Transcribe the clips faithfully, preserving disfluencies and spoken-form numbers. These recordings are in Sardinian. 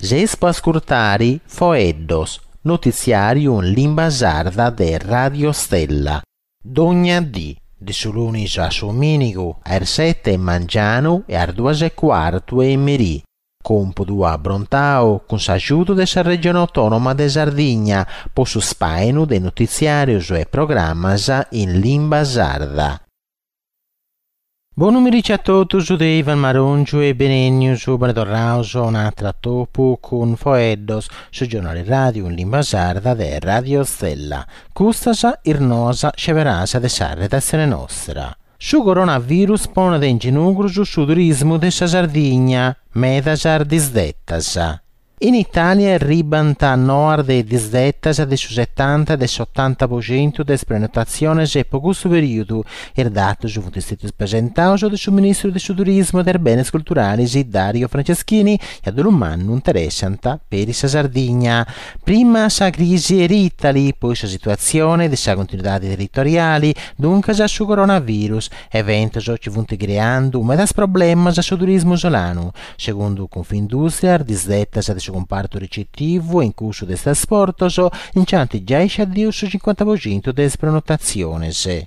Seis po ascurtare Foeddos, notitziàriu in limba sarda de Radio Stella. Dogna dì, de su lunis a su domìnigu, a is sete 'e mangianu e a is duas e cuartu 'e merì. Còmpudu abrontau cun s'agiudu de sa Regione Autònoma de Sardigna po su spàinu de notitziàrios e programmas in limba sarda. Bonu merici a totus de Ivan Marongiu e benennius, bene torraus a un'atru atopu cun Foeddos, su giornali radiu in limba sarda de Radio Stella. Custas is noas sceberàs de sa redatzione nostra. Su coronavirus ponet in ginugrus su turismu de sa Sardigna, medas disdetas. In Itàlia arribant noas de disdetas de su setanta e de s'otanta po centu de is prenotatziones po custu perìodu. Is datos funt istètius presentados de su ministru de su Turismu e de is Benes Culturales Dario Franceschini e a dolu mannu interessant peri sa Sardigna. Prima sa crisi Air Italy, poi sa situatzione de sa continuidade territoriale, duncas su coronavirus, eventos chi funt creando medas problemas a su turismu isolanu. Segundu Confindustria, is disdetas de su compartu ricettivu e in cussu de is trasportos nch'ant giai sciaddiu su cincuanta po centu de is prenotatziones.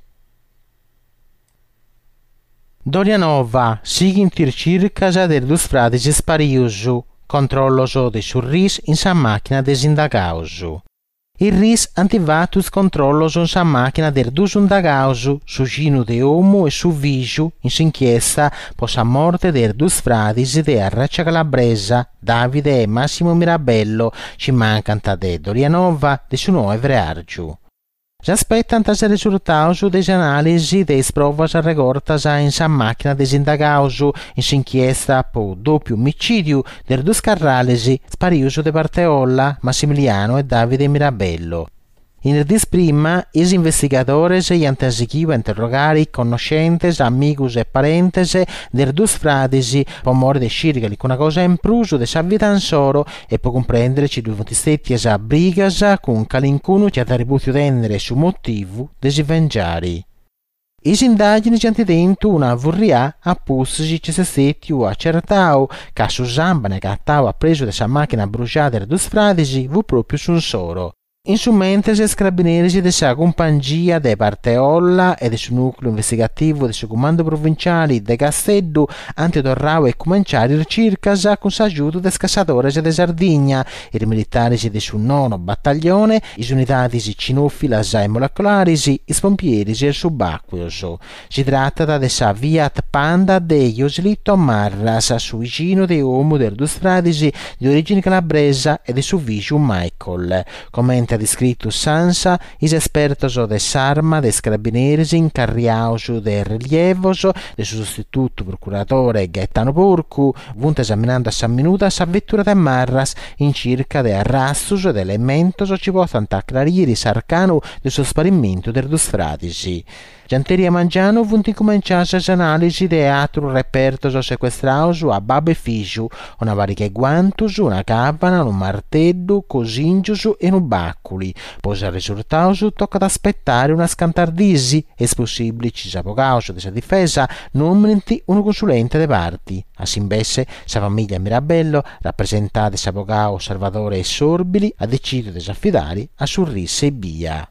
Dolianova, sighint is circas de is duos frades isparidos, controllos de su R I S in sa màchina de is indagados. Is R I S ant fatu is controllos in sa màchina de is duos indagados, su ginu de omu e su fìgiu, in s'inchiesta po sa morte de is duos frades de Arraccia Calabresa, Davide e Massimo Mirabello, chi mancant de Dolianova de su noe freàrgiu. S'aspetant is resurtados de is anàlisi de is provas regortas in sa màchina de is indagados in s'inchiesta po dòpiu omicìdiu de is duos carrales sparidos de Parteolla, Massimiliano e Davide Mirabello. In is dies prima, is investigadores iant sighidu a interrogare connoschentes, amigos e parentes de is duos frades po more de scire calicuna cosa in prus de sa vida insoro e po cumprèndere chi ddu funt istètias brigas cun calincunu chi at rebùtziu tènnere su motivu de si vengiare. Is indàgines ant tentu una furrià a pustis chi est istètiu acertau ca su sàmbene agatau a presu de sa màchina bruxada de is duos frades fut pròpiu su insoro. In su mentres is carabineris de sa cumpangia de Parteolla e de su nùcleu investigativu de su Cumandu Provinciale de Casteddu ant torradu a cumenciare is circas cun s'agiudu de is cassadores de Sardigna, is militares de su nono battaglione, is unidades cinòfilas e moleculares, is pompieris e is subàcueos. Si tratat de sa Fiat Panda de Joselito Marras, su biginu de omu de is duos frades de orìgine calabresa e de su fìgiu Michael. Comente at iscritu s'ANSA, is espertos de s'arma de is carabineris incarriados de relievos de su sostitutu procuradore Gaetano Porcu funt esaminando a sa minuda sa vetura de Marras in circa de arrastos e de elementos chi potzant acrarire s'arcanu de su sparimentu de is duos frades. Gianteria Mangianu funt incumenciadas is anàlisi de àteros repertos secuestrados a babbu e fìgiu, una pariga de guantos, una càvana, unu marteddu, cosìngios e unu bàculi. Po is resurtados tocat a aspetare unas cantas dies e est possìbile chi is abogados de sa difesa nòminent unu consulente de parte. A s'imbesse, sa famìlia Mirabello, rapresentada de s'abogadu Salvatore Sorbili, at detzididu de s'afidare a su R I S ebbia.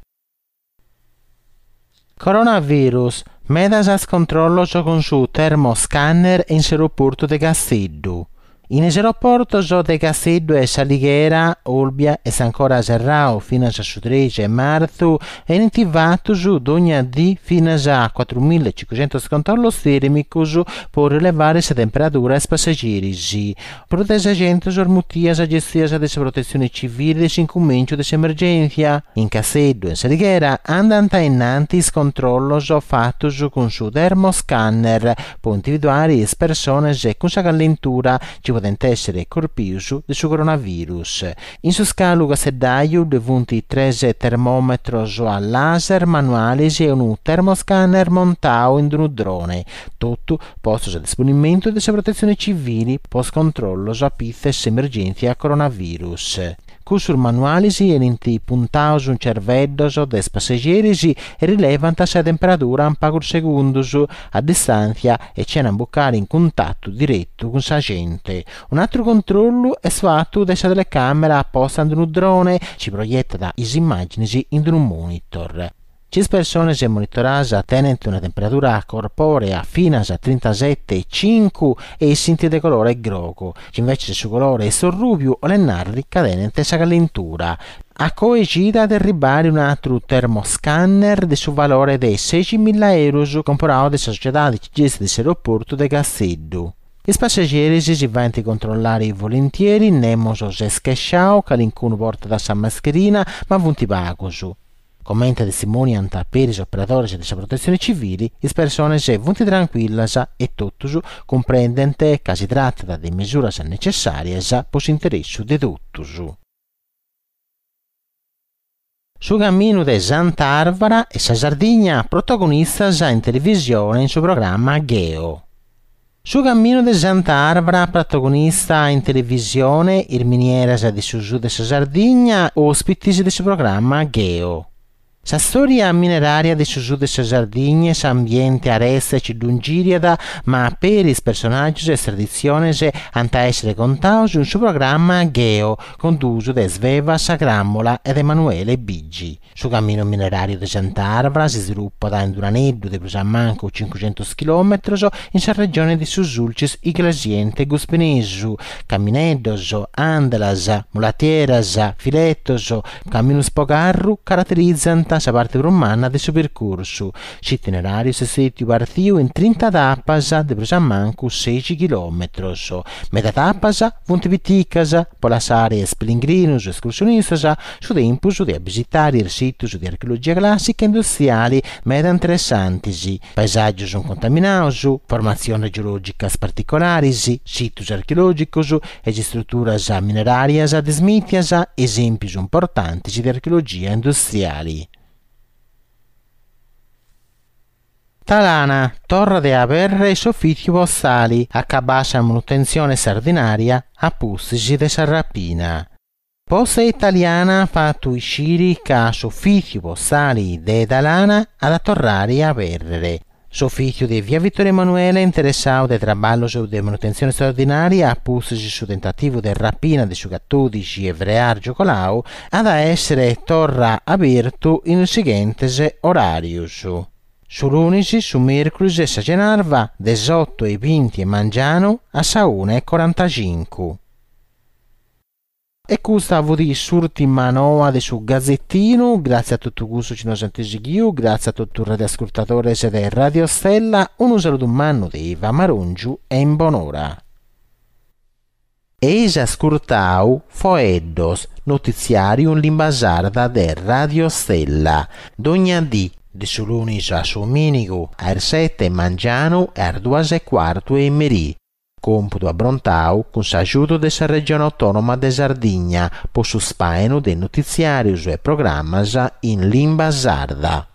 Coronavirus, medas is controllos cun su termoscanner in s'aeroportu de Casteddu. In is aeroportos de Casteddu e S'Alighera, Olbia est ancora serradu finas a su trexi de martzu e benint fatos dogna dì finas a cuatrumillacincucentos controllos tèrmicos po rilevare sa temperadura a is passageris. Prus de sescentos is mutias gestidas de sa protetzione civile de s'incumìnciu de s'emergèntzia. In Casteddu e in S'Alighera andant innanti is controllos fatos cun su termoscanner po individuare is persones cun sa callentura chi podent èssere corpidos de su coronavirus. In su scalu casteddaju ddu funt tres termòmetros a laser manuales e unu termoscanner montadu in unu drone, totu postos a disponimentu de sa protetzione civile po is controllos a pitzu de s'emergèntzia coronavirus. Cussus manualis 'enint puntaus in cerveddos de is passegeris e rilevant sa temperadura in pagus segundos, a distàntzia e chena imbucare in cuntatu diretu cun sa gente. Un'àteru controllu est fatu de sa telecàmera posta in unu drone chi proietat is immàgines in unu monitor. Chi is persones monitoradas tenent una temperadura corpòrea finas a trintasete e cincu essint de colore grogu, chi invece su colore est rubiu 'olet nàrrere ca tenent sa calentura. A coe cida at a arribare un'àteru termoscanner de su valore de seixi milla euros comporadu de sa sociedade chi gestit s'aeroportu de Casteddu. Is passegeris si faent controllare volentieri, nemos s'est chesciadu, calincunu portat sa mascherina, ma funt pagos. Comente testimoniant peri is operadores de sa protetzione civile, is persones funt trancuillas e totus cumprendent ca si tratat de mesuras netzessàrias pro s'interessu de totus. Su caminu de Sant'Arvara e sa Sardigna protagonistas in televisione in su programma Gheo. Su caminu de Sant'Arvara protagonista in televisione, is minieras de su sud de sa Sardigna, òspites de su programma Gheo. Sa storia mineraria de su sud de sa Sardigna e s'ambiente areste chi ddu ingiriat, ma peri is personàgios e is traditziones ant a èssere contados in su programma Gheo, condusu de Sveva Sagramola e de Emanuele Bigi. Su caminu mineràriu de Sant'Arvara s'isvilupat in un'aneddu de prus a mancu chincughentos chilòmetros in sa regione de su Sulcis Iglesiente Guspinesu. Camineddos, àndalas, mulatieras, filetos, caminos po carru caraterizant sa parte prus manna de su percursu. S'itineràriu est istètiu partiu in trinta tapas de prus a mancu seixi chilòmetros. Meda tapas funt piticas po lassare a is pellegrinos e escursionistas su tempus de abisitare is sitos de archeologia clàssica e industriale meda interessantes, paesàgios incontaminados, formatziones geològicas particulares, sitos archeològicos e istruturas mineràrias dismìtias, esèmpios importantes de archeologia industriale. Talana, torrat a abèrrere s'ufìtziu postale, acabbada sa manutentzione istraordinària a pustis de sa rapina. Posta Italiana at fatu iscire ca s'ufìtziu postale de Talana at a torrare a abèrrere. S'ufìtziu de via Vittorio Emanuele, interessadu de traballos de manutentzione istraordinària a pustis su tentativu de rapina de su catòdixi 'e freàrgiu coladu, at a èssere torra abertu in is sighentes oràrios. Su lunis, su mèrcuris e sa cenarva de is oto e binti 'e mangianu a sa una e corantacincu. E custa fut s'ùrtima noa de su Gazetinu, gràtzias a totu cussos chi nos ant sighiu, gràtzias a totu is radioascurtadores de Radio Stella, unu saludu mannu de Iva Marongiu e in bonora. Eis ascurtau Foeddos, notitziàriu in limba sarda de Radio Stella. Dogna dì, de su lunis a su domìnigu, a is sete 'e mangianu e a is duas e cuartu 'e merì. Còmpudu abrontau cun s'agiudu de sa Regione Autònoma de Sardigna po su spàinu de notitziàrios e programmas in limba sarda.